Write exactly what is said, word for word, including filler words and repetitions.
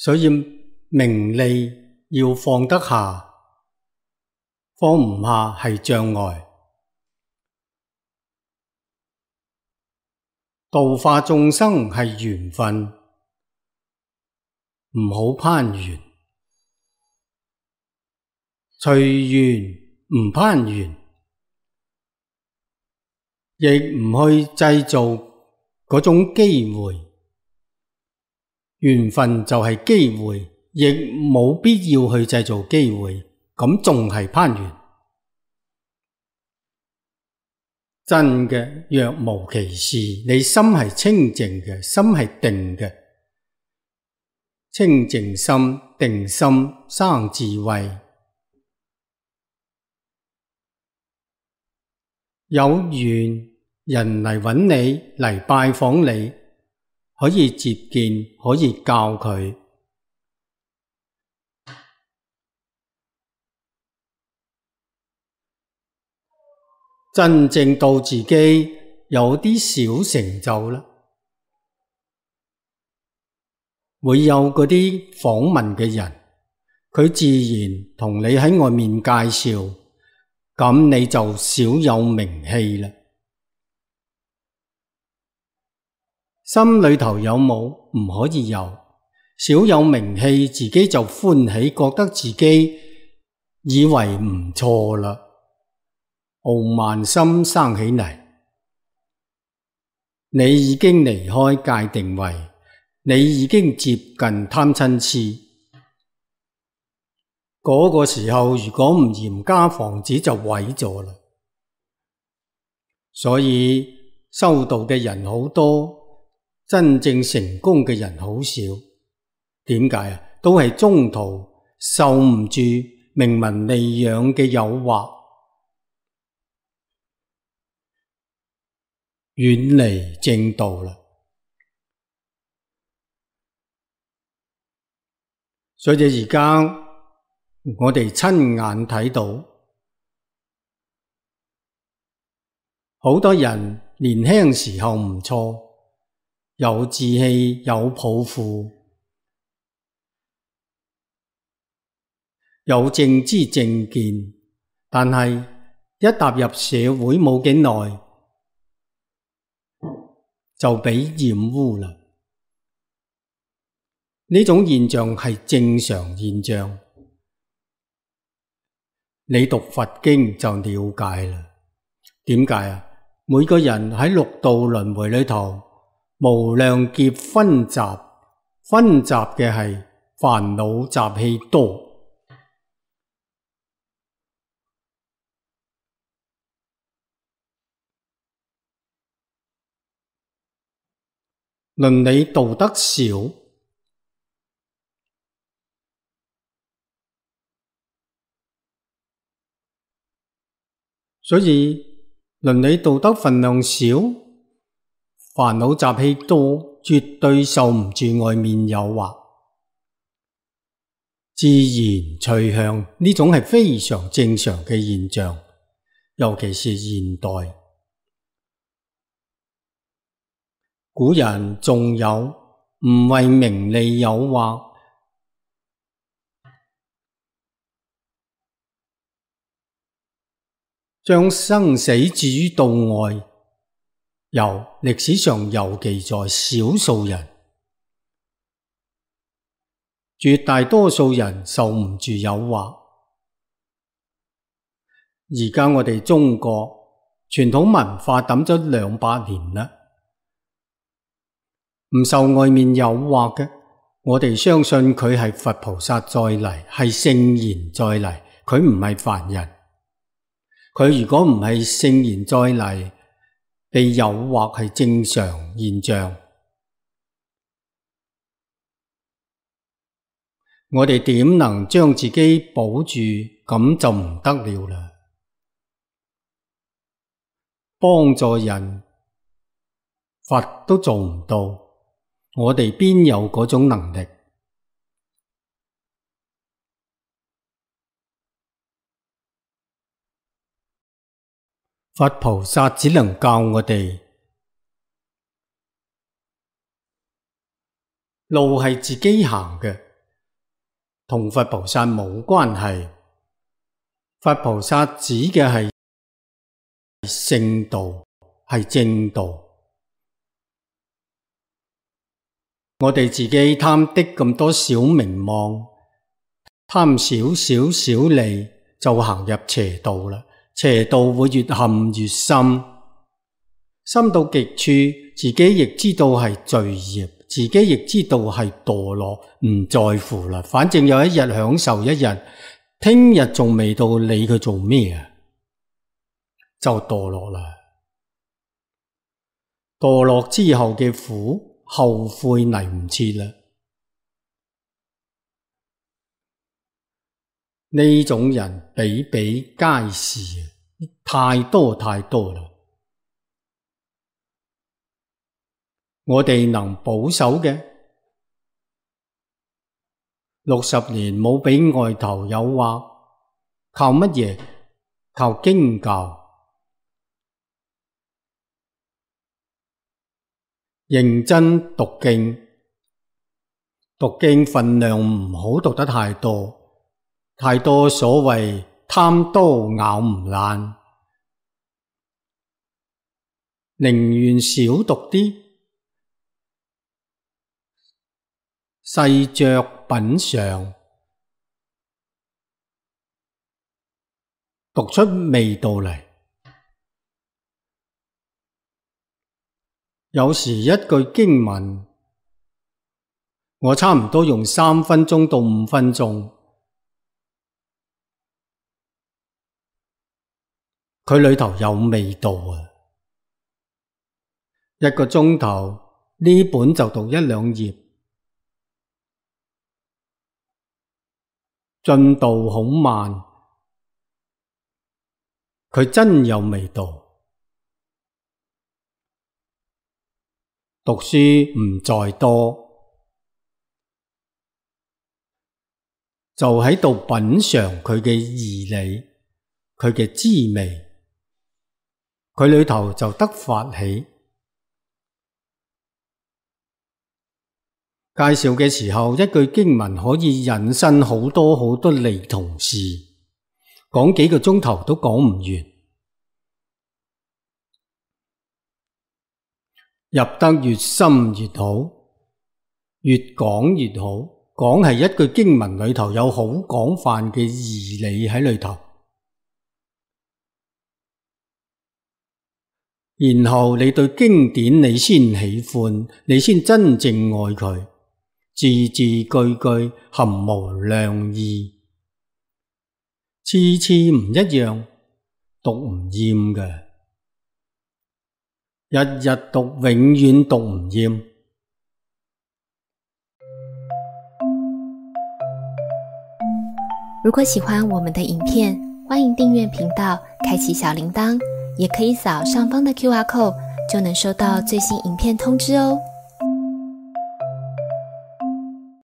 所以名利要放得下，放唔下係障礙。度化眾生係緣分，唔好攀緣，隨緣唔攀緣，亦唔去製造嗰種機會。緣分就係機會，亦冇必要去製造機會，咁仲係攀緣。真嘅若無其事，你心係清淨嘅，心係定嘅，清淨心、定心生智慧。有緣人嚟揾你，嚟拜訪你，可以接見，可以教佢。真正到自己有啲小成就啦，會有嗰啲訪問嘅人，佢自然同你喺外面介紹，咁你就小有名氣啦。心裏頭有冇？唔可以有。小有名氣，自己就歡喜，覺得自己以為唔錯啦。傲慢心生起嚟，你已經離開界定位，你已經接近貪嗔癡。嗰個時候如果唔嚴加防止就毀咗啦。所以修道嘅人好多，真正成功嘅人好少。點解啊？都係中途受唔住名聞利養嘅誘惑，遠離正道啦。所以而家我哋親眼睇到，好多人年輕時候唔錯，有志氣，有抱負，有正知正見，但係一踏入社會冇幾耐，就俾染污啦。呢種現象係正常現象，你讀佛經就了解啦。點解啊？每個人喺六道輪迴裏頭，無量劫熏習，熏習嘅係煩惱習氣多。倫理道德少，所以倫理道德分量少，煩惱習氣多，絕對受唔住外面誘惑，自然趨向，呢種係非常正常嘅現象，尤其是現代。古人仲有唔為名利誘惑，將生死置於度外，有歷史上有記載，少數人，絕大多數人受唔住誘惑。而家我哋中國傳統文化抌咗兩百年啦，唔受外面誘惑嘅，我哋相信佢係佛菩薩再嚟，係聖賢再嚟，佢唔係凡人。佢如果唔係聖賢再嚟，被誘惑係正常現象。我哋點能將自己保住？咁就唔得了啦。幫助人，佛都做唔到，我哋邊有嗰種能力？佛菩薩只能教我哋，路係自己行嘅，同佛菩薩冇關係。佛菩薩指嘅係聖道，係正道。我哋自己貪的咁多小名望，貪少少小利，就行入邪道啦。邪道會越陷越深，深到極處，自己亦知道係罪業，自己亦知道係墮落，唔在乎啦。反正有一日享受一日，聽日仲未到，理佢做咩啊？就墮落啦。墮落之後嘅苦，後悔嚟唔切啦。呢種人比比皆是，太多太多啦。我哋能保守嘅，六十年冇俾外頭誘惑，靠乜嘢？靠經教。認真讀經，讀經分量唔好讀得太多。太多所謂貪多咬唔爛，寧願少讀啲，細嚼品嘗，讀出味道嚟。有時一句經文，我差唔多用三分鐘到五分鐘。佢裏頭有味道啊！一個鐘頭呢本就讀一兩頁，進度好慢，佢真有味道。讀書唔在多，就喺度品嘗佢嘅義理，佢嘅滋味。佢裏頭就得發起。介紹嘅時候，一句經文可以引申好多好多利同事，講幾個鐘頭都講唔完。入得越深越好，越講越好。講係一句經文裏頭有好廣泛嘅義理喺裏頭。然後你對經典你先喜歡，你先真正愛佢，字字句句含無量義，次次唔一樣，讀唔厭嘅，日日讀永遠讀唔厭。如果喜歡我們的影片，歡迎訂閱頻道，開啟小鈴鐺，也可以掃上方的 Q R code，就能收到最新影片通知哦。